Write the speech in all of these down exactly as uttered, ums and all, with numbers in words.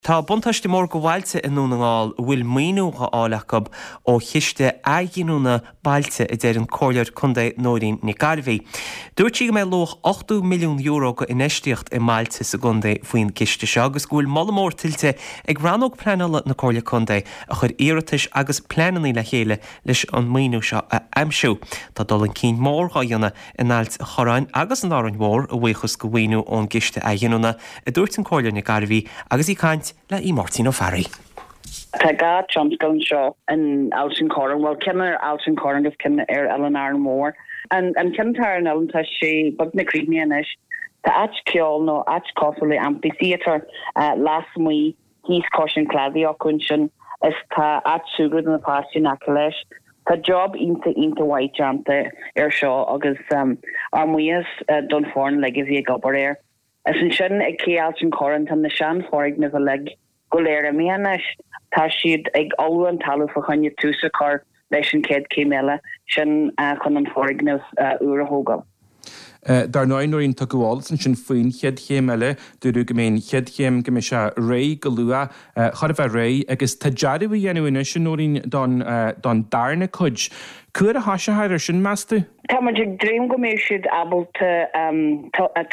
Tá buntáiste mór go bhailte i nDún na nGall a bhfuil maoiniú á fháil acu ó chiste athghiniúna bailte a deir an Comhairleoir Contae Nóirín Nic Gairbhí. Dúirt sí go mbeidh luach ochtó milliún euro go infheistíocht i mbailte sa gcontae faoin gciste seo agus go bhfuil moladh mór tuillte ag rannóg pleanála na Comhairle Contae a chuir iarratais agus pleananna le chéile leis an maoiniú seo a aimsiú. Tá dul chun cinn mór á dhéanamh in Ailt Chorráin agus in Árainn Mhór a bhuíochas go mhaoiniú ón gciste athghiniúna, a dúirt an Comhairleoir Nic Gairbhí agus í ag caint le í Máirtín Ó Fearraigh. Tá dhá tionscal anseo in Ailt an Chorráin, well ceann ar Ailt an Chorráin agus ceann ar Oileán Árainn Mhór. An an ceann atá ar an oileán tá sé beagnach críochnaithe anois. Tá áit ceoil nó áit cosúil le amphitheatre uh, lasmuigh thíos cois an chladaigh acu ansin is tá áit súgradh do na páistí in aice leis. Tá job iontach iontach mhaith déanta ar seo agus um, ár mbuíochas uh, don foireann uilig a bhí ag obair air. Is ansin ag cé Ailt an Chorráin tá na seanfhoirgnimh uilig go léir imithe anois tá siad ag ullmhú an talamh fá choinne tús a chur leis an chéad chéim eile sin uh, chun an foirgneamh uh, úr a thógáil. Dar ndóigh Nóirín tugadh eolas ansin faoin chéad chéim eile dúradh go mbeidh an chéad chéim go mbeidh sé réidh go luath chor a bheith réidh agus tá dearadh á dhéanamh anois Nóirín don don darna cuid. Cá huair a thoiseofar ar sin meas tú? Tá muid ag dréim go mbeidh siad ábalta um,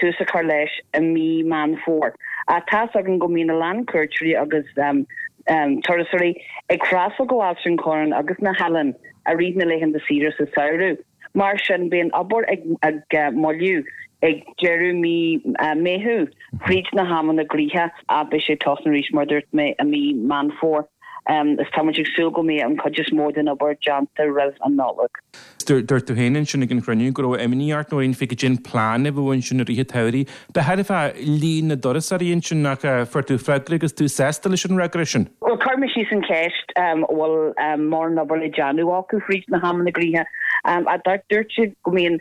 tús a chur leis i mí Meán Fómhair. A tá againn go mbíonn a lán cuairteoirí agus um, um, turasóirí ag freastal go Ailt an Chorráin agus na hoileáin i rith na laethanta saoire sa samhradh. Mar sin bíonn obair ag, ag uh, moilliú ag deireadh mí uh, Meitheamh fríd na hamanna gnoitheacha a beidh sé tosnaithe arís mar dúirt mé i mí Meán Fómhair. Um, is tá ag súil go mbeidh an chuid is mó den obair déanta roimh an Nollaig. Dúirt tú féin ansin ag an chruinniú go raibh imní ort Nóirín faoi cad é an plean a bheadh ansin i rith an tsamhraidh. Ba thairbhe líon na dturasóirí ansin nach fuair tú freagra agus tú sásta leis an fhreagra sin. Well chuir mé síos an cheist um, bhfuil um, mórán obair le déanamh acu fríd na hamanna gnoitheacha. Um, a dúirt siad go mbíonn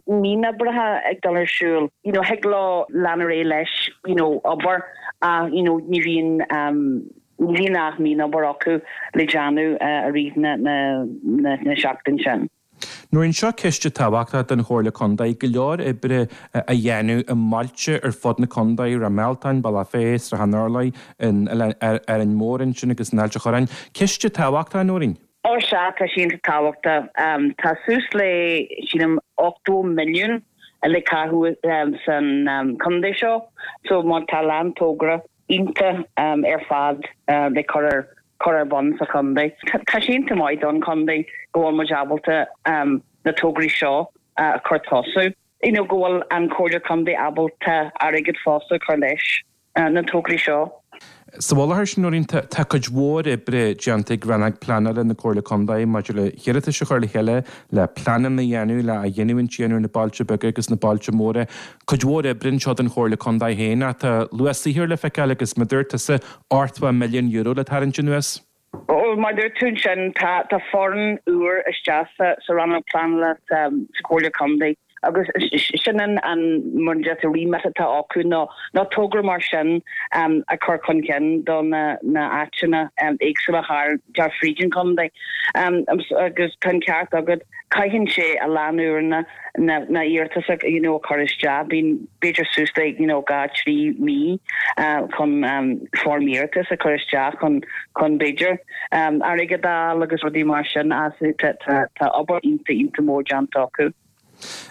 mionoibreacha ag dul ar siúl. You know, thig leo leanúint leis you know, obair uh, you know, ní bhíonn um, ní bhíonn ach mionobair acu le déanamh uh, i rith na, na, na, na seachtain sin. Nóirín seo ceist tábhachtach don Chomhairle Contae go leor oibre a dhéanamh i mbailte ar fud na contae Ráth Mealtain, Bealach Féich, Srath an Urláir ar Árainn Mhór ansin agus in Ailt an Chorráin. Ceist tábhachtach Nóirín. Ó sea tá sin tábhachtach um, tá suas le sílim ochtó milliún le caitheamh um, san um, contae seo, so má tá lán togra iontach um, ar fad uh, le cur ar cur ar bun sa chontae. Tá sé iontach maith don chontae go bhfuil muid ábalta um, na tograí seo uh, a chur tosú. You know, go bhfuil an Chomhairle Contae ábalta airgead fosta chur leis uh, na tograí seo. Sa bháthair sin Nóirín tá cuid mhór oibre déanta ag rannóg pleanála na Comhairle Contae maidir le hiarratais a chur le chéile le pleananna a dhéanamh le a dhéanamh déanamh na bailte beaga agus na bailte móra. Cuid mhór oibre anseo den Chomhairle Contae féin tá luas saothair le feiceáil agus mar dúirt tusa ochtó milliún euro le tarraingt anuas. Ó mar dúirt tú sin tá tá foireann úr isteach sa sa rannóg pleanála sa Chomhairle Contae. agus sin an an mar remit atá acu ná ná togra mar sin um, a chur chun cinn do na na áiteanna um, éagsúla thar jar fríd an chontae. Um, agus tá an ceart agat caitheann sé a lán uaireanta na na iarratais you know, chur isteach bíonn b'fhéidir suas le you know, dhá trí mí uh, chun um, form iarratas a chur isteach chun chun b'fhéidir um, airgead a fháil agus rudaí mar sin as tá obair iontach iontach mór déanta acu.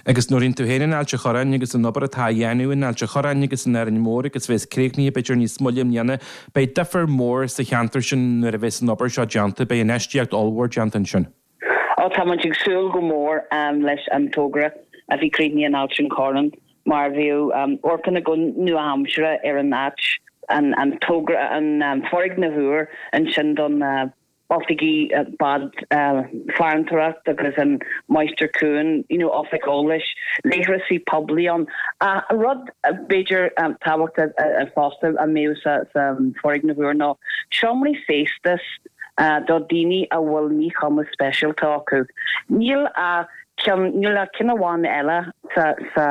Agus Nóirín tú féin in Ailt an Chorráin agus an obair atá á dhéanamh in Ailt an Chorráin agus in Árainn Mhór agus bheas críochnaithe b'fhéidir níos moille i mbliana, beidh difear mór sa cheantar sin nuair a bheas an obair seo déanta, beidh infheistíocht ollmhór déanta ansin. Ó tá muid ag súil go mór um, leis an togra a bhí críochnaithe in Ailt an Chorráin mar bhí um, orcanna go nua-aimseartha ar an áit an, an togra an um, foirgneamh úr ansin don uh, oifigí uh, bád uh, farantóireacht agus an Máistir Cuain you know, oifig eolais leithreasaí poiblí ann. Uh, rud b'fhéidir um, tábhachtach uh, fosta a mbeidh sa, sa foirgneamh úr ná seomraí feistis uh, do daoine a bhfuil míchumas speisialta acu. Níl a níl a ceann amháin eile sa, sa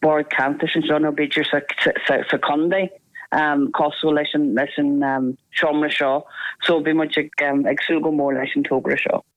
bord ceantar sin nó b'fhéidir sa, sa, sa chontae. um, cosúil leis an leis an um, seomra seo, so bhí muid ag, um, ag súil go mór leis an togra seo.